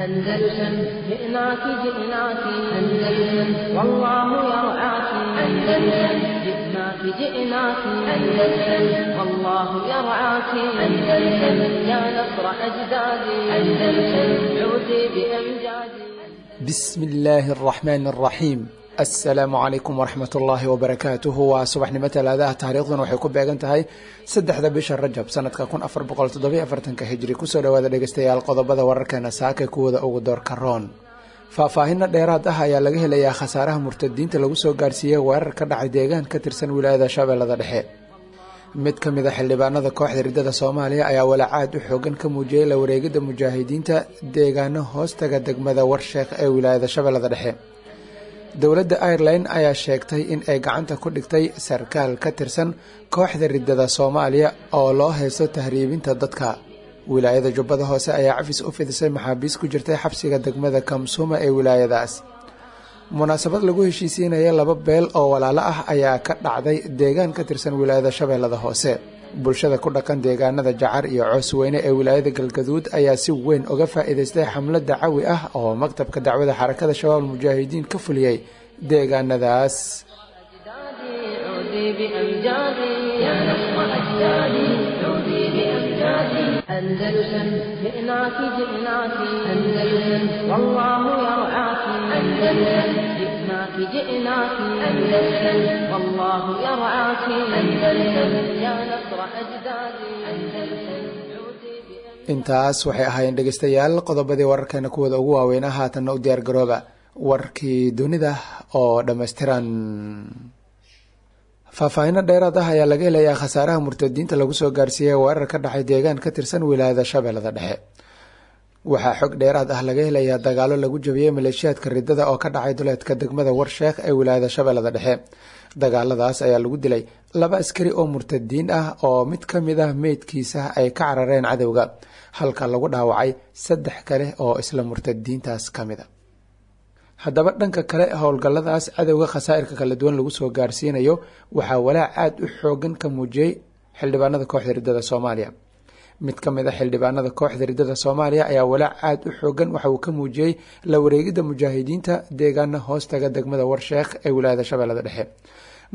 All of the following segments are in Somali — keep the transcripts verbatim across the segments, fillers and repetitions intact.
أندلسن جئناك جئناك أندلسن والله يرعاك أندلسن جئناك جئناك أندلسن والله يرعاك أندلسن يا نصر أجدادي أندلسن عودي بأمجادي. بسم الله الرحمن الرحيم. Asalaamu calaykum waraxmat ullaahi wabarakaatuhu. Waa subaxnimo talaadaha, taariikhduna waxay ku beegan tahay saddexda bisha Rajab sanadka kun afar boqol toddobiyo afartanka hijri. Kusoo dhawaada dhegeystayaal qodobada wararkeena saaka kuwooda ugu doorka roon. Faahfaahino dheeraad ah ayaa laga helayaa khasaaraha murtadiinta lagu soo gaarsiiyey weerar ka dhacay deegaan ka tirsan wilaayada Shabeellada Dhexe. Mid ka mid a xildhibaanada kooxda riddada Soomaaliya ayaa walaacaad u xoogan ka muujiyey la wareegidda mujaahidiinta deegaano hoostaga degmada Warsheekh ee wilaayada Shabeellada Dhexe. Dowladda Ireland ayaa sheegtay in ay gacanta ku dhigtay sarkaal ka tirsan kooxda riddada Soomaaliya oo loo haysto tahriibinta dadka. Wilaayada Jubbada Hoose ayaa cafis u fidisay maxaabiis ku jirtay xabsiga degmada Kamsuma ee wilaayadaas. Munaasabad lagu heshiisiinaya laba beel oo walaalo ah ayaa ka dhacday deegaan ka tirsan wilaayada Shabeellada Hoose. Bulshada ku dhaqan deegaanada Jacar iyo Coosweyne ee wilaayada Galgaduud ayaa si weyn uga faa'iidaystay xamlad dacawi ah oo maktabka dacwada Xarakada Shabaab Mujaahidiin ka fuliyey deegaanadaas. عودي بأمجادي يا نصر أجدادي عودي بأمجادي أندلسن جئناك جئناك أندلسن والله يرعاك أندلسن جئناك جئناك أندلسن والله يرعاك أندلسن يا نصر أجدادي أندلسن عودي بأمجادي. Intaas waxay ahaayeen dhegeystayaal qodobadii wararkeena kuwooda ugu waaweynaa. Haatanna u diyaar garooba warkii dunida oo dhammaystiran. Faahfaahino dheeraad ah ayaa laga helayaa khasaaraha murtadiinta lagu soo gaarsiiyey weerar ka dhacay deegaan ka tirsan wilaayada Shabeellada Dhexe. Waxaa xog dheeraad ah laga helayaa dagaalo lagu jabiyey maleeshiyaadka riddada oo ka dhacay duleedka degmada Warsheekh ee wilaayada Shabeellada Dhexe. Dagaaladaas ayaa lagu dilay laba askari oo murtadiin ah oo mid ka mid ah meydkiisa ay ka carareen cadowga, halka lagu dhaawacay saddex kale oo isla murtadiintaas ka mid a. Haddaba dhanka kale, howlgalladaas cadowga khasaa'irka kala duwan lagu soo gaarsiinayo waxaa walaac aada u xoogan ka muujiyey xildhibaanada kooxda riddada Soomaaliya. Mid ka mid a xildhibaanada kooxda riddada Soomaaliya ayaa walaac aada u xoogan waxa uu ka muujiyey la wareegidda mujaahidiinta deegaana hoostaga degmada Warsheekh ee wilaayada Shabeellada Dhexe.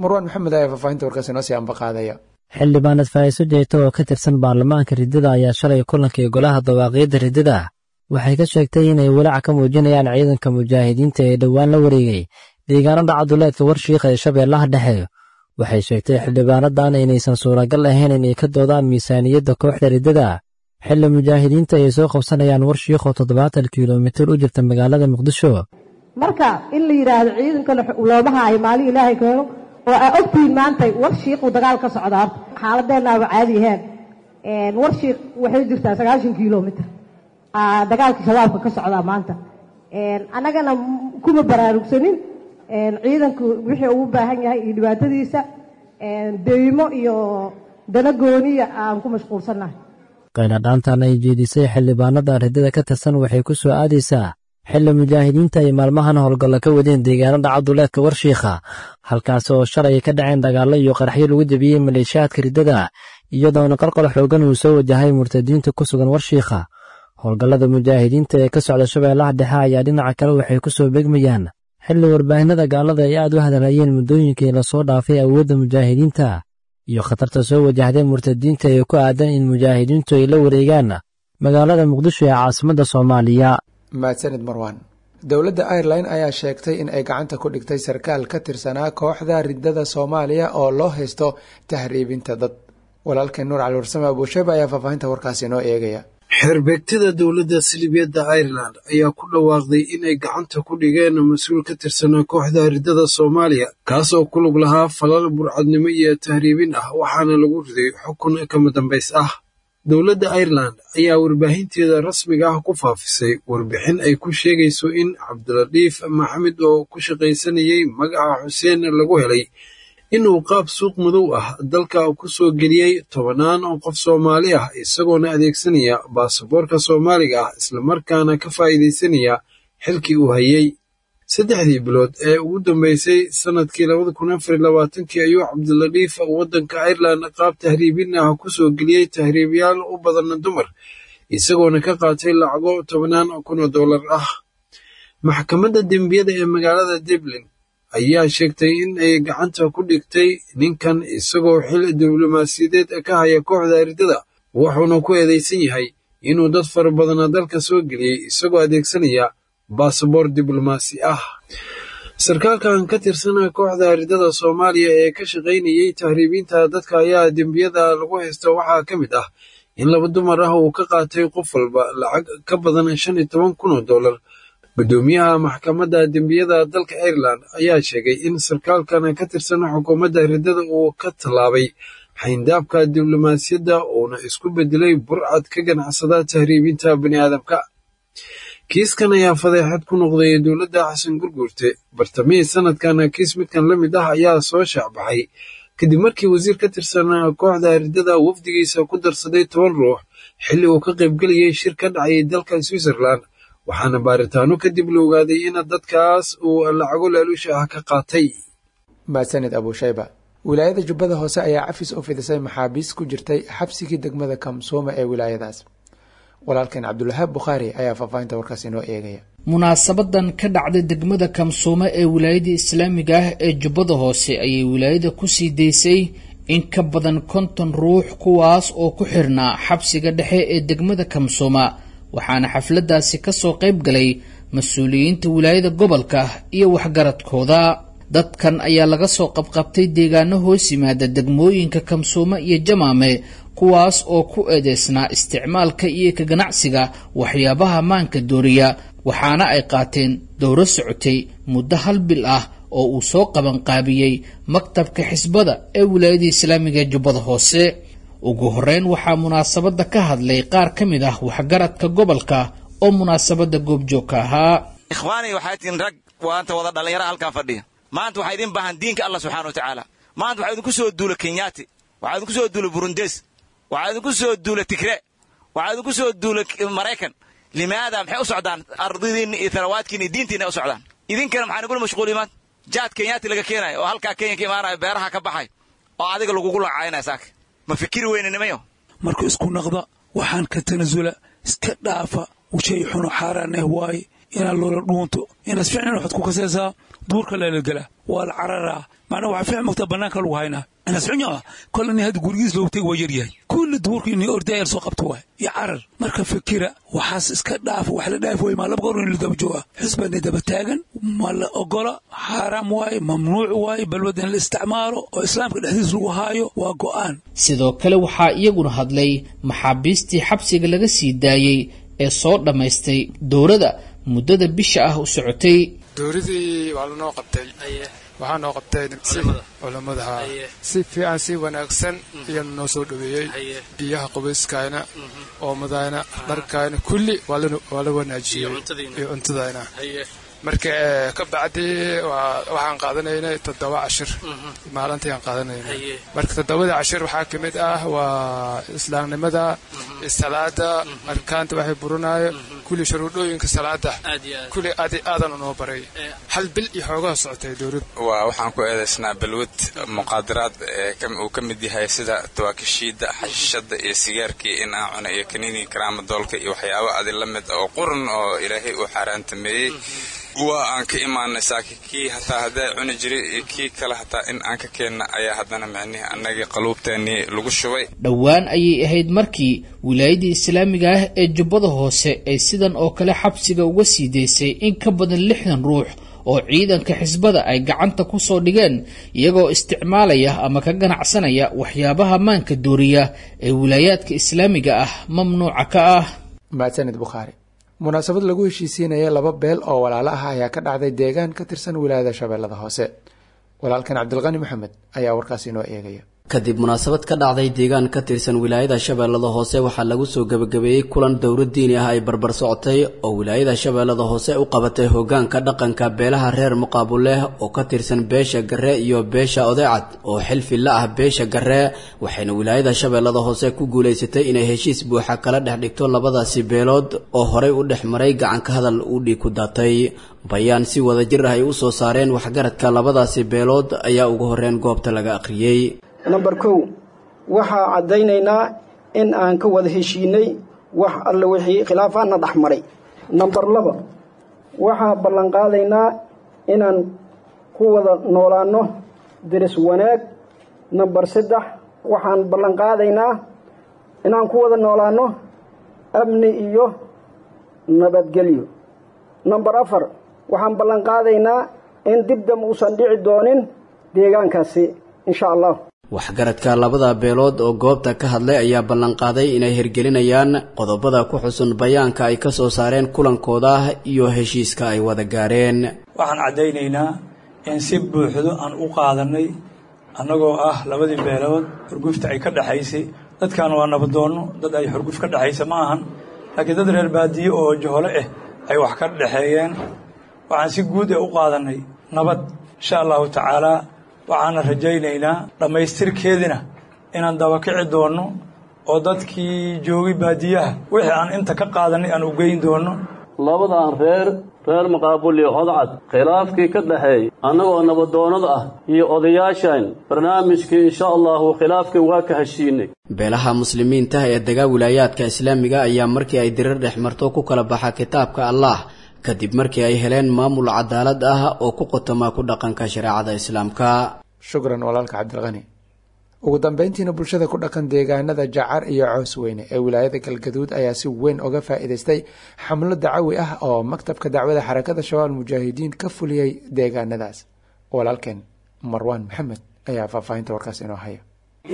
Marwaan Maxamed ayaa faahfaahinta warkaasi noo sii ambaqaadaya. Xildhibaanad Faa'iiso Jeeto oo ka tirsan baarlamaanka riddada ayaa shalay kulankii golaha dawaaqiyadda riddada waxay ka sheegtay inay walaac ka muujinayaan ciidanka mujaahidiinta ee dhowaan la wareegay deegaano dhaca duleedka Warshiikh ee Shabeellaha Dhexe. Waxay sheegtay xildhibaanadan inaysan suuragal ahayn inay ka doodaan miisaaniyadda kooxda riddada xilli mujaahidiinta ay soo qabsanayaan Warshiikh oo toddobaatan kilomitir u jirta magaalada Muqdisho. Marka in la yidhaahdo ciidanka looma haayo maalin Ilaahay keeno oo aa ogtihiin maanta Warshiiquu dagaal ka socda, horta xaaladeennaaba caadi ahayn. Warshiiq waxay jirtaa sagaashan kilomitir, dagaalka Shabaabka ka socdaa maanta. Annagana kuma baraarugsanin ciidanku wixii ugu baahan yahay iyo dhibaatadiisa, deymo iyo dana gooniya aan ku mashquulsannahay. Qayladhaantan ay jeedisay xildhibaanada riddada ka tirsan waxay ku soo aadaysaa xilli mujaahidiinta ay maalmahan howlgallo ka wadeen deegaano dhaca duleedka Warshiikha, halkaas oo shalay ka dhaceen dagaallo iyo qaraxyo lagu jebiyey maleeshiyaadka riddada, iyadoona qalqal xoogan uu soo wajahay murtadiinta ku sugan Warshiikha. Howlgallada mujaahidiinta ee ka socda Shabeellaha Dhexe ayaa dhinaca kale waxay ku soo begmayaan xilli warbaahinada gaalada ay aad u hadalhayeen muddooyinkii lasoo dhaafay awoodda mujaahidiinta iyo khatarta soo wajahday murtadiinta ee ku aadan in mujaahidiintu ay la wareegaan magaalada Muqdisho ee caasimadda Soomaaliya. Mahadsanid Marwaan. Dowladda Ireland ayaa sheegtay in ay gacanta ku dhigtay sarkaal ka tirsanaa kooxda riddada Soomaaliya oo loo haysto tahriibinta dad. Walaalkeen Nuur Cali Warsame Abuusheeb ayaa faahfaahinta warkaasi inoo eegaya. Xeerbeegtada dowladda Salibiyadda Ireland ayaa ku dhawaaqday inay gacanta ku dhigeen mas-uul ka tirsanaa kooxda riddada Soomaaliya, kaas oo ku lug lahaa falal burcadnimo iyo tahriibin ah, waxaana lagu riday xukun kama dambays ah. Dowladda Ireland ayaa warbaahinteeda rasmiga ah ku faafisay warbixin ay ku sheegayso in Cabdilatiif Maxamed oo ku shaqaysanayay magaca Xuseen lagu helay inuu qaab suuq madow ah dalka ku soo geliyey tobanaan oo qof Soomaali ah, isagoona adeegsanaya baasaboorka Soomaaliga ah, islamarkaana ka faa'iidaysanaya xilkii uu hayey. Saddexdii bilood ee ugu dambeysay sannadkii labada kun afar iyo labaatankii ayuu Cabdilatiif waddanka Ireland qaab tahriibin ah ku soo geliyey tahriibayaal u badan dumar, Isagoona ka qaatay lacago tobnaan kun oo dollar ah. Maxkamadda dembiyada ee magaalada Dublin ayaa sheegtay in ay gacanta ku dhigtay ninkan isagoo xil diblomaasiyadeed ka haya kooxda riddada, wuxuuna ku eedeysan yahay inuu dad fara badana dalka soo geliyey isagoo adeegsanaya baasaboor diblomaasi ah. Sarkaalkan ka tirsan kooxda riddada Soomaaliya ee ka shaqaynayay tahriibinta dadka ayaa dembiyada lagu haysto waxaa ka mid ah in laba dumar ah uu ka qaatay qof walba lacag ka badan shan iyo toban kun oo dollar. Guddoomiyaha maxkamadda dembiyada dalka Ireland ayaa sheegay in sarkaalkan ka tirsan xukuumadda riddada uu ka tallaabay xayndaabka diblomaasiyadda uuna isku bedelay burcad ka ganacsada tahriibinta bani'aadamka. Kiiskan ayaa fadeexad ku noqday dowladda Xasan Gurguurte. Bartamihii sanadkan kiis midkan la mid ah ayaa soo shaacbaxay kadib markii wasiir ka tirsan kooxda riddada wafdigiisa ku darsaday toban ruux xilli uu ka qaybgelayay shir ka dhacayay dalka Switzerland, waxaana baaritaano kadib la ogaaday in dadkaas uu lacago laaluusha ah ka qaatay. Mahadsanid Abushayba. Wilaayada Jubbada Hoose ayaa cafis u fidisay maxaabiis ku jirtay xabsigii degmada Kamsooma ee wilaayadaas. Walaalkeen Cabdulwahaab Bukhaari ayaa faahfaahinta warkaas inoo eegaya. Munaasabadan ka dhacday degmada Kamsoome ee wilaayada islaamiga ah ee Jubbada Hoose ayay wilaayada kusii daysay in ka badan konton ruux, kuwaas oo ku xirnaa xabsiga dhexe ee degmada Kamsooma. Waxaana xafladaasi kasoo qayb galay mas-uuliyiinta wilaayada gobolka iyo waxgaradkooda. Dadkan ayaa laga soo qabqabtay deegaano hoos yimaada degmooyinka Kamsoome iyo Jamaame, kuwaas oo ku eedeysnaa isticmaalka iyo ka ganacsiga waxyaabaha maanka dooriya. Waxaana ay qaateen dowro socotay muddo hal bil ah oo uu soo qabanqaabiyey maktabka xisbada ee wilaayada islaamiga ee Jubbada Hoose. Ugu horeyn waxaa munaasabadda ka hadlay qaar ka mid ah waxgaradka gobolka oo munaasabadda goobjoogka ahaa. Ikhwaani, waxaa tihiin rag waanta wada dhallinyara halkan fadhiya. Maanta waxaa idin baahan diinka Allah subxaana wa tacaala. Maanta waxaa idinku soo duula Kenyaati, waxaa idinku soo duula Burundes, waxaa idinku soo duula Tigre, waxaa idinku soo duula Maraykan. Limaada maxay u socdaan? Ardidiinna iyo tharawaadkiina iyo diintiinna u socdaan. Idinkana maxaa nagula mashquuliy maanta? Jaad Kenyaati laga keenayo oo halkaa Kenya ka imaanayo, beeraha ka baxay oo adiga lagugu lacaynaya saaka. Ma fikiri weyne nimayo? Marka isku naqda, waxaan ka tanasula, iska dhaafa shay xuno xaaraan eh waaye inaad loola dhuunto inaad ficnan waxaad ku kasaysaa duurka lalagelaa waa la cararaa. Macnaa waxaa fiican mogtaa bannaanka lagu haynaa inaas xunya ah kolle nin hadda gurigiis loogu tegi waa yaryahay kulli duurka ini ordayar soo qabto waay iyo carar. Marka fikira waxaas iska dhaafa, wax la dhaafi way maa laba goor in la daba jooga xisbadna daba taagan ma la ogola, xaaraam waaye, mamnuuc waaye balwada in la isticmaalo oo islaamka dhexdiis lagu haayo waa go'aan. Sidoo kale waxaa iyaguna hadlay maxaabiistii xabsiga laga sii daayey ee soo dhammaystay dowrada muddada bisha ah u socotay. Dowradii waa lanoo qabtay, waxaa noo qabtay culammada si fiican, si wanaagsan ayaa noo soo dhaweeyey. Biyaha qubayskayna, oomadayna, dharkayna kulli waa la wanaajiyey iyo cuntadayna. Marka ka bacdi waxaan qaadanaynay toddoba cashir maalintii aan qaadanaynay. Marka toddobada cashir waxaa ka mid ah waa islaamnimada, salaada, arkaanta waxay burinayo, kulli shuruudooyinka salaada kulli aad aadan unoo baray. Hal bil iyo xoogaha socotay dowladda. Waa waxaan ku eedaysnaa balwad muqaadaraad uu ka mid yahay sida tawaakishiida, xashishada iyo sigaarkii in aan cuna iyo kaniini karaamadoolka iyo waxyaabo adi la mid oo qurun oo ilaahay uu xaaraantameeyey. Waa aan ka imaanay saaki kii hataa haddaa cuni jiray iyo kii kale hataa in aan ka keenna ayaa haddana micnihi annagii qaluubteennii lagu shubay. Dhowaan ayay ahayd markii wilaayadii islaamiga ah ee Jubbada Hoose ay sidan oo kale xabsiga uga sii daysay in ka badan lixdan ruux oo ciidanka xisbada ay gacanta ku soo dhigeen iyagoo isticmaalaya ama ka ganacsanaya waxyaabaha maanka dooriya ee wilaayaadka islaamiga ah mamnuuca ka ah. Mahadsanid Bukhaari. Munaasabad lagu heshiisiinaya laba beel oo walaalo ah ayaa ka dhacday deegaan ka tirsan wilaayada Shabeellada Hoose. Walaalkan Cabdilqani Maxamed ayaa warkaas inoo eegaya. Kadib munaasabad ka dhacday deegaan ka tirsan wilaayada Shabeellada Hoose, waxaa lagu soo gebagabeeyey kulan dowlad diini ah ay barbar socotay oo wilaayada Shabeellada Hoose u qabatay hoggaanka dhaqanka beelaha reer Muqaabuleh oo ka tirsan beesha Garre iyo beesha Odeecad oo xilfi la ah beesha Garre. Waxayna wilaayada Shabeellada Hoose ku guulaysatay inay heshiis buuxa kala dhex dhigto labadaasi beelood oo horey u dhex maray gacanka hadal uu dhiig ku daatay. Bayaan si wadajir ah ay u soo saareen waxgaradka labadaasi beelood ayaa ugu horreyn goobta laga akhriyey. Namber kow, waxaa caddaynaynaa in aan ka wada heshiinay Wax alle wixii khilaafaadna dhexmaray. Namber laba, waxaa ballanqaadaynaa inaan ku wada noolaanno deris wanaag. Namber saddex, waxaan ballanqaadaynaa inaan ku wada noolaanno amni iyo nabadgelyo. Namber afar, waxaan ballanqaadaynaa in dib dam uusan dhici doonin deegaankaasi insha Allah. Waxgaradka labada beelood oo goobta ka hadlay ayaa ballanqaaday inay hirgelinayaan qodobada ku xusun bayaanka ay ka soo saareen kulankooda iyo heshiiska ay wada gaareen. Waxaan caddaynaynaa in si buuxdo aan u qaadanay annagoo ah labadii beelood xurgufta ay ka dhexaysay. Dadkan waa nabadoonno, dad ay xurguf ka dhexaysa ma ahan, laakiin dad reer baadiye oo johole ah ay wax ka dhexeeyeen. Waxaan si guud ee u qaadanay nabad insha allahu tacaalaa. Waxaana rajaynaynaa dhammaystirkeedina inaan dabakici doonno oo dadkii joogay baadiyaha wixii aan inta ka qaadanay aan u geyn doonno. Labadan reer, reer Maqaabul iyo Hodcad, khilaafkii ka dhexeey annagoo nabadoonnada ah iyo odayaashan barnaamijkii insha allahu khilaafkii waa ka heshiinay. Beelaha muslimiinta ee degaa wilaayaadka islaamiga ayaa markii ay dirir dhex marto ku kala baxa kitaabka Allah kadib markii ay heleen maamul cadaalad ah oo ku qotoma ku dhaqanka shareecada islaamka. Shukran walaalka Cabdilqani. Ugu dambeyntiina bulshada ku dhaqan deegaanada Jacar iyo Coosweyne ee wilaayada Galgaduud ayaa si weyn uga faa'iidaystay xamlo dacawi ah oo maktabka dacwada xarakada Shabaab Mujaahidiin ka fuliyey deegaanadaas. Walaalkeen Marwaan Maxamed ayaa faahfaahinta warkaas inoo haya.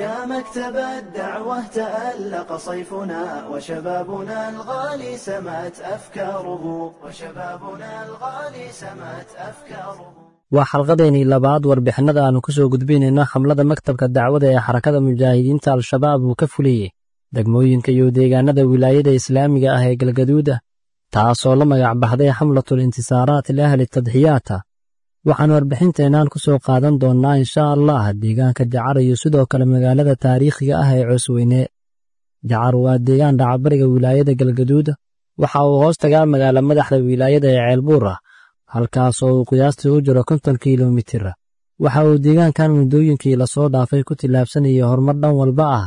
يا مكتب الدعوة تألق صيفنا وشبابنا الغالي سمت أفكاره وشبابنا الغالي سمت أفكاره. Waa xalqadeennii labaad warbixinada aanu ku soo gudbinayno xamlada maktabka dacwada ee xarakada mujaahidiinta Al-Shabaab uu ka fuliyey degmooyinka iyo deegaanada wilaayada islaamiga ah ee Galgaduuda, taasoo la magac baxday xamlatul intisaaraat liahli tadxiyaata. Waxaan warbixinteenaan ku soo qaadan doonnaa insha Allah deegaanka Jacar iyo sidoo kale magaalada taariikhiga ah ee Coosweyne. Jacar waa deegaan dhacabariga wilaayada Galgaduud, waxa uu hoos tagaa magaala madaxda wilaayada ee Ceelbuur, halkaasoo uu qiyaastii u jiro konton kilomitir. Waxa uu deegaankan muddooyinkii lasoo dhaafay ku tillaabsanayay horumar dhan walba ah,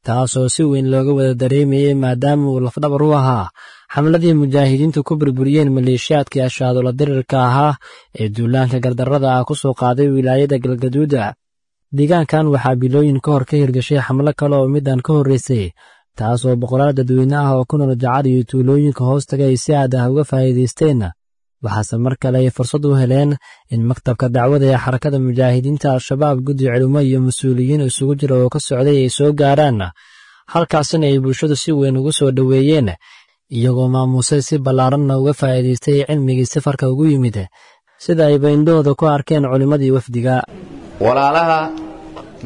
taasoo si weyn looga wada dareemayey maadaama uu lafdhabar u ahaa xamladii mujaahidiintu ku burburiyeen maleeshiyaadkii ashaadula dirirka ahaa ee duulaanka gardarrada ah ku soo qaaday wilaayada Galgaduuda. Deegaankan waxaa bilooyin ka hor ka hirgashay xamlo kale oo midaan ka horreysay, taasoo boqolaal dadweyne ah oo ku nool Jacar iyo tuulooyinka hoostaga ay si aad ah uga faa'iidaysteen. Waxaase mar kale ay fursad u heleen in maktabka dacwada ee xarakada mujaahidiinta Al-Shabaab guddi culimo iyo mas-uuliyiin isugu jira oo ka socday ay soo gaaraan, halkaasina ay bulshadu si weyn ugu soo dhoweeyeen, iyagoo maamuusay si ballaaranna uga faa'iidaystay cilmigii safarka ugu yimid, sida ayba indhahooda ku arkeen culimmadii wafdiga. Walaalaha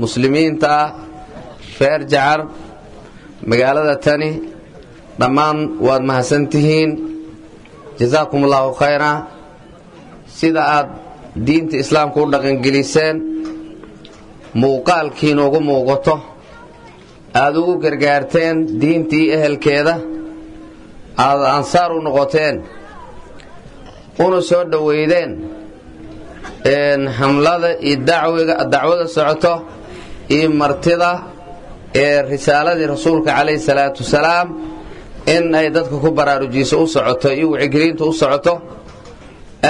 muslimiinta ah reer Jacar magaalada tani dhammaan waad mahadsantihiin, jasaakum allaahu khayra. Sida aad diinta islaamka u dhaqangeliseen, muuqaalkiina ugu muuqato, aad ugu gargaarteen diintii ehelkeeda, aad ansaar u noqoteen, una soo dhoweydeen xamlada iyo dacwiga dacwada socoto iyo martida ee risaaladii rasuulka calayhi salaatu wasalaam in ay dadka ku baraarujiso u socoto iyo wacyigelinta u socoto.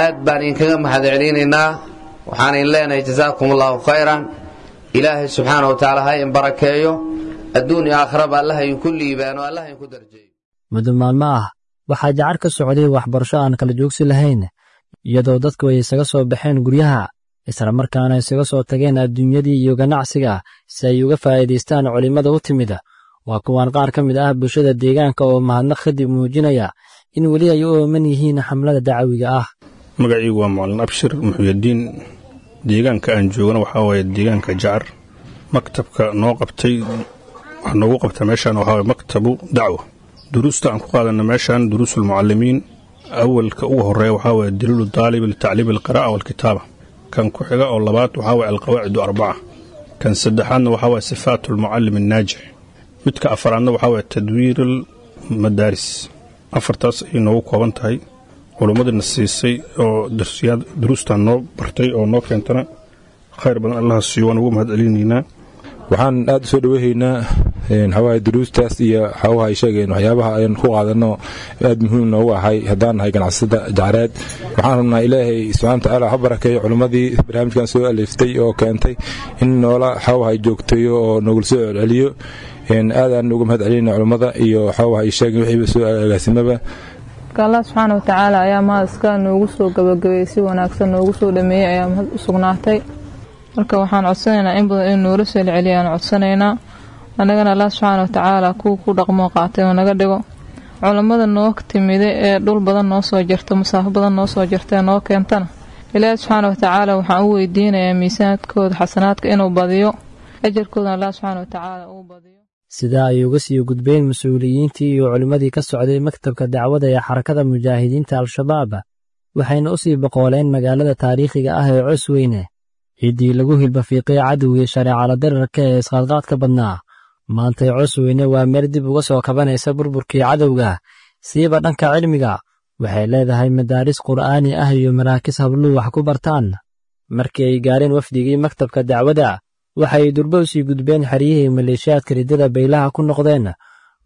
Aad baan idinkaga mahadcelinaynaa, waxaan idin leenahay jasaakum allahu khayran. Ilaahay subxaana wa tacaala ha in barakeeyo adduun iyo aakhiraba, allaha idinku liibaano, allaha idinku darjeeyo. Muddo maalmo ah waxaa Jacar ka socday waxbarasho aan kala joogsi lahayn, iyadoo dadku ay isaga soo baxeen guryaha isla markaana isaga soo tageen adduunyadii iyo ganacsiga si ay uga faa'iidaystaan culimmada u timid. Waa kuwaan qaar ka mid ah bulshada deegaanka oo mahadnaq kadib muujinaya in weli ay u ooman yihiin xamlada dacawiga ah. Magacaygu waa Macalin Abshir Muxuyadiin. Deegaanka aan joogana waxaa waaye deegaanka Jacar. Maktabka noo qabtay waxaa noogu qabta meeshaan waxaa waaye maktabu dacwa. Duruusta aan ku qaadana meeshaan duruusulmucallimiin. Awalka ugu horeeya waxaa waaye daliilu daalib litacliimi alqiraa'a waalkitaaba. Kan ku xiga oo labaad waxaa waaye alqawaacidu arbaca. Kan saddexaadna waxaa waaye sifaatu almucallim annaajix. Midka afaraadna waxaa waaye tadwiir almadaaris. Afartaas ayay noogu kooban tahay. Culummadina siisay oo darsiyaad duruustan noo bartay oo noo keentana khayr badan allaha siiyo, waan ugu mahad celinaynaa. Waxaan aad u soo dhoweyhaynaa Waxawaaye duruustaas iyo waxawaha ay sheegeen waxyaabaha ayaan ku qaadano aad muhiim noogu ahay haddaan nahay ganacsada Jacreed. Waxaan rabnaa Ilaahay subxana watacaala ha barakeeyo culimmadii barnaamijkan soo aliftay oo keentay in noola waxawaha joogteeyo oo noogula soo celceliyo. Aadaan uga mahad celinayna culimmada iyo waxawaha ay sheegeen wixiiba soo agaasimaba. Allah subxaana watacaala ayaa mahad iska noogu soo gabagabeeyey, si wanaagsan noogu soo dhameeyey ayaa mahad u sugnaatay. Marka waxaan codsanaynaa in badan in noola soo celceliyaan codsanaynaa. Annagana Allah subxaana watacaala kuwa ku dhaqmoo qaatay oo naga dhigo. Culammada noo timiday ee dhul badan noo soo jirta, masaafo badan noo soo jirta ee noo keentana, Ilaahi subxaana watacaala waxaan u weydiinayaa miisaankooda xasanaadka inuu badiyo, ajarkoodana Allah subxaana watacaala uu badiyo. Sidaa ay uga sii gudbeen mas-uuliyiintii iyo culimmadii ka socday maktabka dacwada ee Xarakada Mujaahidiinta Al-Shabaab, waxayna u sii boqooleen magaalada taariikhiga ah ee Cosweyne, ciddii lagu hilbafiiqay cadowgii shareecala dararka ee isqaadqaadka badnaa. Maantay Cosweyne waa meel dib uga soo kabanaysa burburkii cadowga, siiba dhanka cilmiga. Waxay leedahay madaaris qur'aani ah iyo maraakis habluhu wax ku bartaan. Markii ay gaareen wafdigii maktabka dacwada, waxay durbo u sii gudbeen xeryihii maleeshiyaadka riddada baylaha ku noqdeen.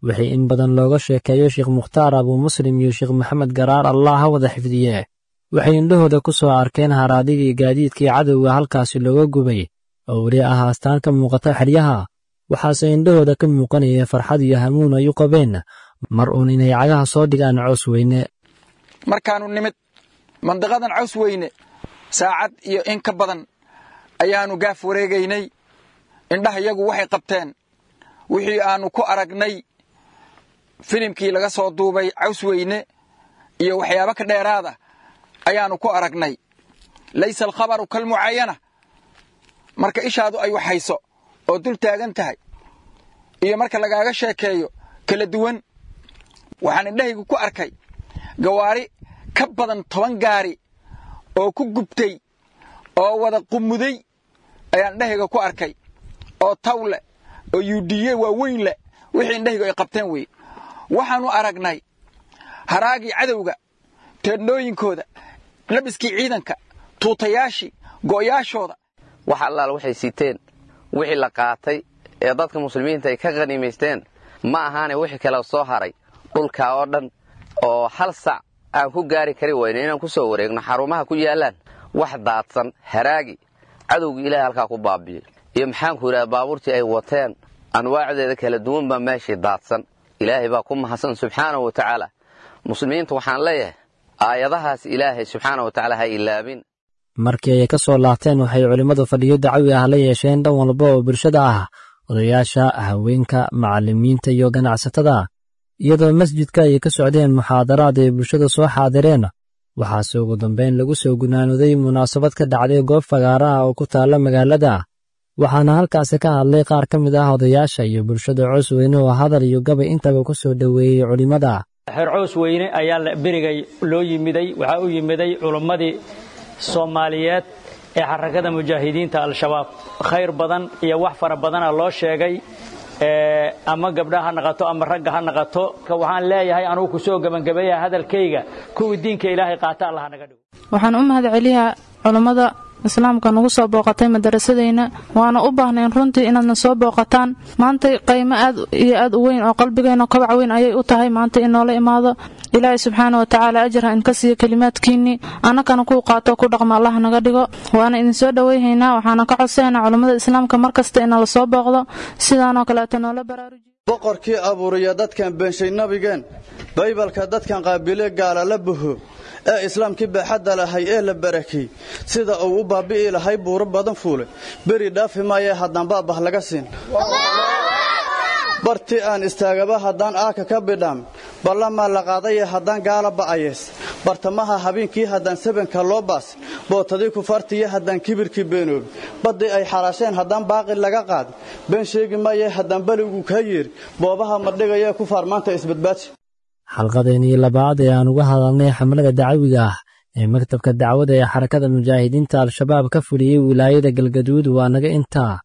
Wixii in badan looga sheekeeyo Sheekh Mukhtaar Abuu Muslim iyo Sheekh Maxamed Garaar, Allah ha wada xifdiye, waxay indhahooda ku soo arkeen haraadigii gaadiidkii cadowga halkaasi looga gubay oo weli ah astaan ka muuqata xeryaha. Waxaase indhahooda ka muuqanaya farxad iyo hamuun ay u qabeen mar uun inay cagaha soo dhigaan Cosweyne. Markaannu nimid mandiqadan Cosweyne, saacad iyo in ka badan ayaannu gaaf wareegaynay. Indhaha iyagu waxay qabteen wixii aannu ku aragnay filimkii laga soo duubay Cawsweyne iyo waxyaabo ka dheeraada ayaannu ku aragnay. Laysa alkhabaru kalmucaayana. Marka ishaadu ay waxhayso oo dul taagan tahay iyo marka lagaaga sheekeeyo kala duwan. Waxaan indhahaygu ku arkay gawaari ka badan toban gaari oo ku gubtay oo wada qumuday ayaan indhahayga ku arkay, oo taw leh oo yuudhiye waaweyn leh. Wixii indhahaygu ay qabteen weye. Waxaannu aragnay haraagii cadowga, teedhnooyinkooda, labiskii ciidanka, tuutayaashii, go'yaashooda. Wax allaal waxay siteen, wixii la qaatay ee dadka muslimiinta ay ka khaniimaysteen ma ahaane, wixii kale soo haray dhulkaa oo dhan oo hal sac aan ku gaari kari weyno inaan ku soo wareegno xarumaha ku yaallaan, wax daadsan haraagi cadowgii Ilahay halkaa ku baabi'yo iyo maxaanku yidhaha baabuurtii ay wateen anwaacdeeda kala duwan baa meeshii daadsan. Ilaahay baa ku mahadsan subxaanahu wa tacaala. Muslimiinta waxaan leeyahay, aayadahaas Ilaahay subxaanahu wa tacaala ha ilaabin. Markii ay ka soo laabteen, waxay culimmadu fadhiyo dacawi ah la yeesheen dhan walba oo bulshada ah, odayaasha, haweenka, macallimiinta iyo ganacsatada, iyadoo masjidka ay ka socdeen muxaadaraad ay bulshada soo xaadireen. Waxaase ugu dambayn lagu soo gunaanooday munaasabad ka dhacday goob fagaaraha oo ku taalla magaalada. Waxaana halkaasi ka hadlay qaar ka mid ah odayaasha iyo bulshada Cosweyne oo hadal iyo gabay intaba ku soo dhoweeyey culimmada. Xeer Coosweyne ayaa berigay loo yimiday. Waxaa u yimiday culummadii Soomaaliyeed ee Xarakada Mujaahidiinta Al-Shabaab. Khayr badan iyo wax fara badana loo sheegay, ama gabdhaha ha naqato ama ragga ha naqato. Waxaan leeyahay anugu kusoo gebangabeeya hadalkayga, kuwii diinka Ilaahay qaata Allah naga dhigo. Waxaan u mahad celiyaa culummada islaamka nagu soo booqatay madarasadayna. Waana u baahnayn runtii inaadna soo booqataan. Maanta qiimo aad iyo aad u weyn oo qalbigeena kobac weyn ayay u tahay maanta in noola imaado. Ilaahay subxaana wa tacaala ajar ha inka siiyo kelimaadkiinnii, annakana kuu qaato ku dhaqma Allah naga dhigo. Waana idin soo dhoweyhaynaa. Waxaana ka codsaynaa culummada islaamka mar kasta ina la soo booqdo sidaanoo kaleeto noola baraarujiyo. Boqorkii abuuriya dadkan beenshay nabigeen, Baybalka dadkan qaabile gaala la buho ee islaamkii baaxadda lahay ee la barakey, sida uu u baabi'i lahay buuro badan fuulay, beri dhaafi maayee haddaan baabah laga siin. Bartii aan istaagaba haddaan aaka ka bidhaam, ballamaa la qaadaye haddaan gaala ba'ayees, bartamaha habeenkii haddaan sabanka loo baas, bootadii kufaartiyo haddaan kibirkii beenoobi, baddii ay xaraasheen haddaan baaqi laga qaadi, been sheegi maayee haddaan beligu kaa yeeri, boobaha madhigayee kufaar maanta isbadbaaji. Xalqadeenii labaad ee aan uga hadalnay xamlada dacawiga ah ee maktabka dacwada ee Xarakada Mujaahidiinta Al-Shabaab ka fuliyey wilaayada Galgaduud waa naga intaa.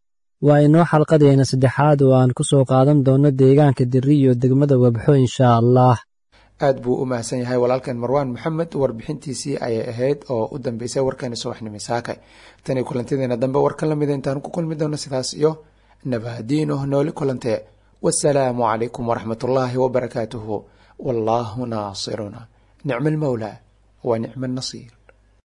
Waa inoo xalqadeena saddexaad oo aan ku soo qaadan doono deegaanka Dirri iyo degmada Wabxo, inshaa Allah. Aad buu u mahadsan yahay walaalkan Marwaan Maxamed. Warbixintiisii ayay ahayd oo u dambeysay warkeena subaxnimo saakay. Tan iyo kulantideena dambe warkan lamida intaan ku kulmi doono, sidaas iyo nabadiino, nooli kulantee. Wasalaamu calaykum waraxmat ullaahi wabarakaatuhu. Wallaahu naasiruna, nicma almawlaa wa nicma annasiir.